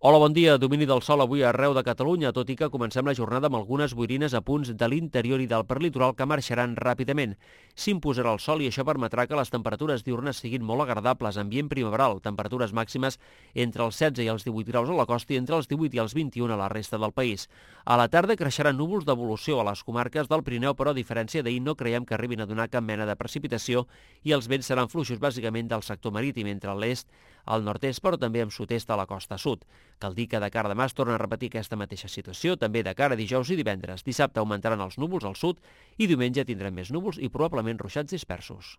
Hola, bon dia. Domini del sol avui arreu de Catalunya, tot i que comencem la jornada amb algunes boirines a punts de l'interior i del perlitoral que marxaran ràpidament. S'imposarà el sol i això permetrà que les temperatures diurnes siguin molt agradables, ambient primaveral, temperatures màximes entre els 16 i els 18 graus a la costa i entre els 18 i els 21 a la resta del país. A la tarda creixeran núvols d'evolució a les comarques del Pirineu, però a diferència d'ahir no creiem que arribin a donar cap mena de precipitació i els vents seran fluixos bàsicament del sector marítim entre l'est, al nord-est, però també amb sud-est a la costa sud. Cal dir que de cara a demà es torna a repetir aquesta mateixa situació, també de cara a dijous i divendres. Dissabte augmentaran els núvols al sud i diumenge tindrem més núvols i probablement ruixats dispersos.